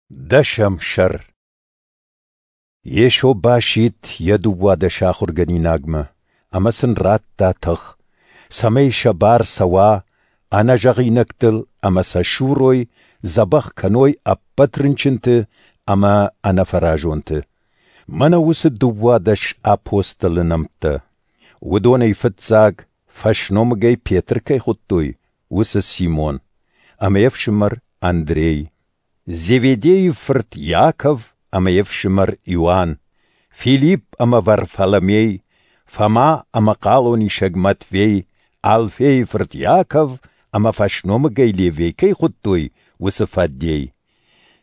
Дӕсӕм сӕр. Йесо басидт йӕ 12 ахуыргӕнинагмӕ ӕмӕ сын радта тых, цӕмӕй сӕ бар цӕуа ӕнӕзӕгъинӕгтыл ӕмӕ сӕ сурой, дзӕбӕх кӕной ӕппӕт рынчынты ӕмӕ ӕнӕфӕразонты. Мӕнӕ уыцы 12 апостолы нӕмттӕ. Уыдонӕй фыццаг, фӕсномыгӕй Петр кӕй хуыдтой, уыцы Симон, ӕмӕ йе фсымӕр Андрей, Зеведейы фырт Иаков ӕмӕ йе фсымӕр Иоанн, Филипп ӕмӕ Варфоломей, Фома ӕмӕ хъалонисӕг Матфей, Алфейы фырт Иаков ӕмӕ фӕсномыгӕй Левей кӕй хуыдтой, уыцы Фаддей,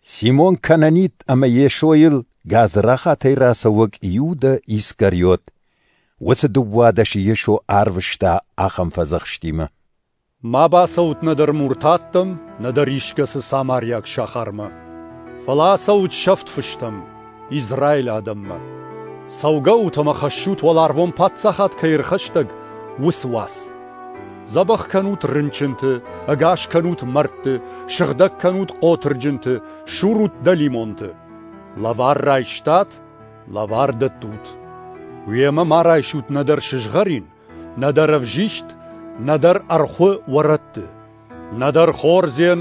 Симон Кананит ӕмӕ Йесойыл гадзрахатӕй рацӕуӕг Иудӕ Искариот. Уыцы 12-ы Йесо арвыста ахӕм фӕдзӕхстимӕ: Ма бацӕут нӕдӕр муртаттӕм, нӕдӕр искӕцы самариаг сахармӕ, фӕлӕ ацӕут сӕфт фыстӕм, Израилы адӕммӕ. Цӕугӕут ӕмӕ хӕссут уӕларвон паддзахад кӕй ӕрхӕстӕг, уыцы уац. Дзӕбӕх кӕнут рынчынты, ӕгас кӕнут мӕрдты, сыгъдӕг кӕнут хъотырджынты, сурут дӕлимонты. Лӕвар райстат, лӕвар дӕттут. Уемӕ ма райсут нӕдӕр сызгъӕрин, нӕдӕр ӕвзист, нӕдӕр ӕрхуы уӕрӕтты, нӕдӕр хордзен,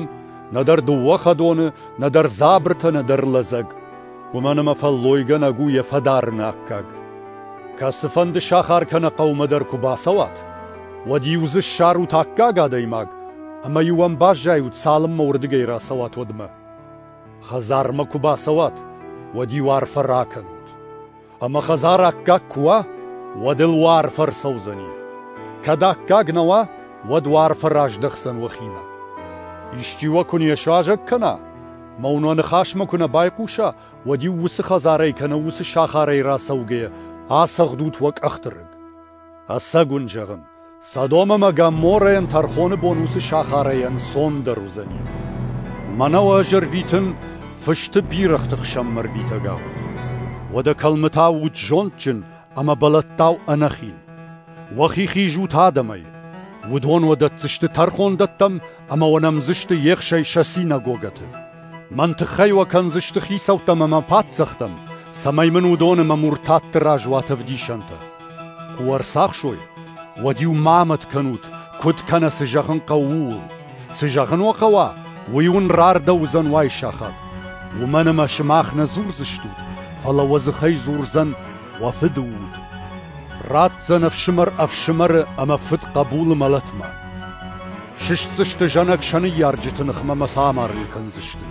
нӕдӕр дыууӕ хӕдоны, нӕдӕр дзабыртӕ, нӕдӕр лӕдзӕг. Уымӕн ӕмӕ фӕллойгӕнӕг у йӕ фӕдарыны аккаг. Кӕцыфӕнды сахар кӕнӕ хъӕумӕ дӕр куы бацӕуат, уӕд-иу дзы ссарут аккаг адӕймаг, ӕмӕ-иу ӕм баззайут, цалынмӕ уырдыгӕй рацӕуат, уӕдмӕ. Хӕдзармӕ куы бацӕуат, уӕд-иу арфӕ ракӕнут. Ӕмӕ хӕдзар аккаг куы уа, уӕд ыл уӕ арфӕ ӕрцӕудзӕни. Кӕд аккаг нӕ уа, уӕд уӕ арфӕ раздӕхдзӕн уӕхимӕ. Исчи уӕ куы не суазӕг кӕна, мӕ уын уӕ ныхасмӕ куы нӕ байхъуса, уӕд-иу уыцы хӕдзарӕй кӕнӕ уыцы сахарӕй рацӕугӕйӕ ацӕгъдут уӕ къӕхты рыг. Ӕцӕг уын зӕгъын, Содом ӕмӕ Гоморрӕйӕн тӕрхоны бон уыцы сахарӕй ӕнцондӕр уыдзӕни. Мӕнӕ уӕ ӕз ӕрвитын фысты бирӕгъты хсӕнмӕ ӕрвитӕгау. Уӕдӕ кӕлмытау ут зондджын ӕмӕ бӕлӕттау ӕнӕхин. Уӕхи хизут адӕмӕй. Уыдон уӕ дӕтдзысты тӕрхондӕттӕм ӕмӕ уӕ нӕмдзысты ехсӕй сӕ синагогӕты. Мӕн тыххӕй уӕ кӕндзысты хицӕуттӕм ӕмӕ паддзӕхтӕм, цӕмӕй мын уыдон ӕмӕ муртатты раз уат ӕвдисӕнтӕ. Куы уӕ ӕрцахсой, уӕд-иу ма мӕт кӕнут, куыд кӕнӕ цы зӕгъын хъӕуы, ууыл. Цы зӕгъын уӕ хъӕуа, уый уын рардӕуыдзӕн уайсахат. Уымӕн ӕмӕ сымах нӕ дзурдзыстут, фӕлӕ уӕ дзыхӕй дзурдзӕн уӕ Фыды Уд. Ратдзӕн ӕфсымӕр ӕфсымӕры ӕмӕ фыд хъӕбулы мӕлӕтмӕ. Сыстдзысты зӕнӕг сӕ ныййарджыты ныхмӕ ӕмӕ сӕ амарын кӕндзысты.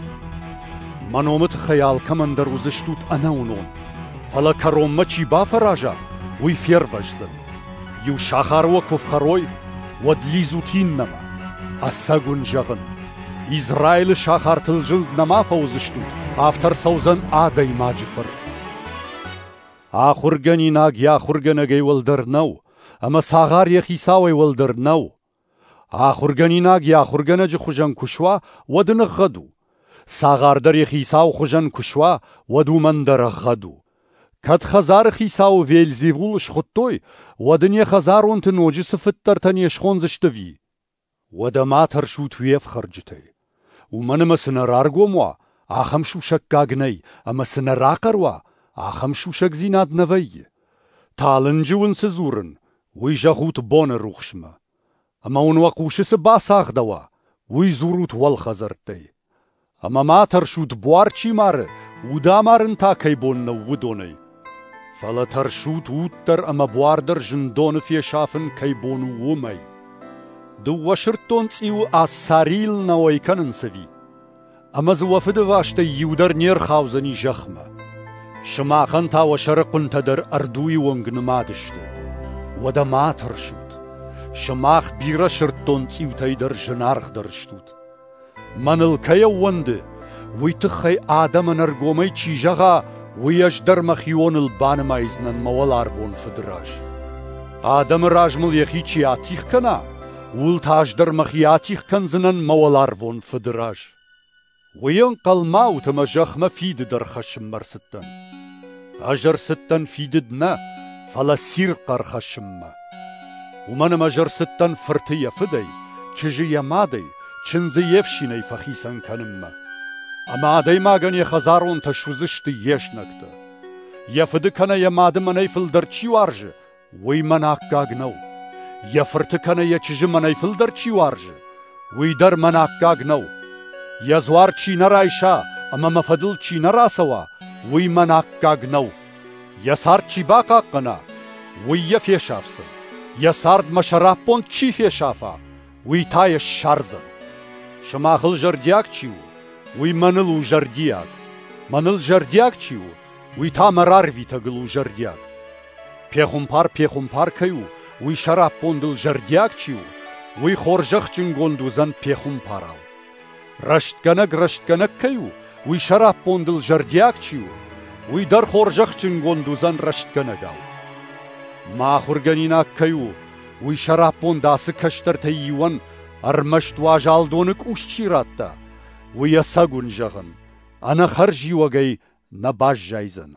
Мӕ номы тыххӕй алкӕмӕн дӕр уыдзыстут ӕнӕуынон, фӕлӕ кӕронмӕ чи бафӕраза, уый фервӕздзӕн. Иу сахар уӕ куы фхӕрой, уӕд лидзут иннӕмӕ. Ӕцӕг уын зӕгъын, Израилы сахартыл зылд нӕма фӕуыдзыстут, афтӕ ӕрцӕудзӕн Адӕймаджы Фырт. Ахуыргӕнинаг йӕ ахуыргӕнӕгӕй уӕлдӕр нӕу, ӕмӕ цагъар йӕ хицауӕй уӕлдӕр нӕу. Ахуыргӕнинаг йӕ ахуыргӕнӕджы хуызӕн куы суа, уӕд ын ӕгъгъӕд у. Цагъар дӕр йӕ хицауы хуызӕн куы суа, уӕд уымӕн дӕр ӕгъгъӕд у. Кӕд хӕдзары хицауы Вельзевул схуыдтой, уӕд ын йӕ хӕдзаронты ноджы цы фыддӕртӕ не схондзысты ӕви? Уӕдӕ ма тӕрсут уе фхӕрджытӕй. Уымӕн ӕмӕ цы нӕ раргом уа, ахӕм сусӕггаг нӕй, ӕмӕ цы нӕ рахъӕр уа, ахӕм сусӕгдзинад нӕ вӕййы. Талынджы уын цы дзурын, уый зӕгъут боны рухсмӕ. Ӕмӕ уын уӕ хъусы цы бацагъдӕуа, уый дзурут уӕлхӕдзӕрттӕй. Ӕмӕ ма тӕрсут, буар чи мары, уд амарын та кӕй бон нӕу, уыдонӕй. Фӕлӕ тӕрсут, уд дӕр ӕмӕ буар дӕр зындоны фесафын кӕй бон у, уымӕй. Дыууӕ сырддон цъиуы Ассарийыл нӕ уӕй кӕнынц ӕви? Ӕмӕ дзы уӕ фыдывастӕй иу дӕр не рхаудзӕни зӕхмӕ. Сымахӕн та уӕ сӕрыхъуынтӕ дӕр ӕрдуйы онг нымад сты. Уӕдӕ ма тӕрсут. Сымах бирӕ сырддон цъиутӕй дӕр зынаргъдӕр стут. Мӕныл кӕй ӕууӕнды, уый тыххӕй адӕмӕн ӕргомӕй чи зӕгъа, уый ӕз дӕр мӕхионыл банымайдзынӕн мӕ уӕларвон Фыды раз. Адӕмы раз мыл йӕхи чи атигъ кӕна, ууыл та ӕз дӕр мӕхи атигъ кӕндзынӕн мӕ уӕларвон Фыды раз. Уый ӕнхъӕл ма ут, ӕмӕ зӕхмӕ фидыд ӕрхӕссынмӕ ӕрцыдтӕн. Ӕз ӕрцыдтӕн фидыд нӕ, фӕлӕ цирхъ ӕрхӕссынмӕ. Уымӕн ӕмӕ ӕз ӕрцыдтӕн фырты йӕ фыдӕй, чызджы йӕ мадӕй, чындзы йе фсинӕй фӕхицӕн кӕнынмӕ. Ӕмӕ адӕймагӕн йӕ хӕдзаронтӕ суыдзысты йе знӕгтӕ. Йӕ фыды кӕнӕ йӕ мады мӕнӕй фылдӕр чи уарзы, уый мӕн аккаг нӕу. Йӕ фырты кӕнӕ йӕ чызджы мӕнӕй фылдӕр чи уарзы, уый дӕр мӕн аккаг нӕу. Йӕ дзуар чи нӕ райса ӕмӕ мӕ фӕдыл чи нӕ рацӕуа, уый мӕн аккаг нӕу. Йӕ цард чи бахъахъхъӕна, уый йӕ фесафдзӕн. Йӕ цард мӕ сӕраппонд чи фесафа, уый та йӕ ссардзӕн. Сымахыл зӕрдиаг чи у, уый мӕныл у зӕрдиаг. Мӕныл зӕрдиаг чи у, уый та мӕ рарвитӕгыл у зӕрдиаг. Пехуымпар пехуымпар кӕй у, уый сӕраппондыл зӕрдиаг чи у, уый хорзӕхджынгонд уыдзӕн пехуымпарау. Рӕстгӕнӕг рӕстгӕнӕг кӕй у, уый сӕраппондыл зӕрдиаг чи у, уый дӕр хорзӕхджынгонд уыдзӕн рӕстгӕнӕгау. Мӕ ахуыргӕнинаг кӕй у, уый сӕраппонд ацы кӕстӕртӕй иуӕн ӕрмӕст уазал доны къус чи радта, уый ӕцӕг уын зӕгъын, ӕнӕхӕрзиуӕгӕй нӕ баззайдзӕн.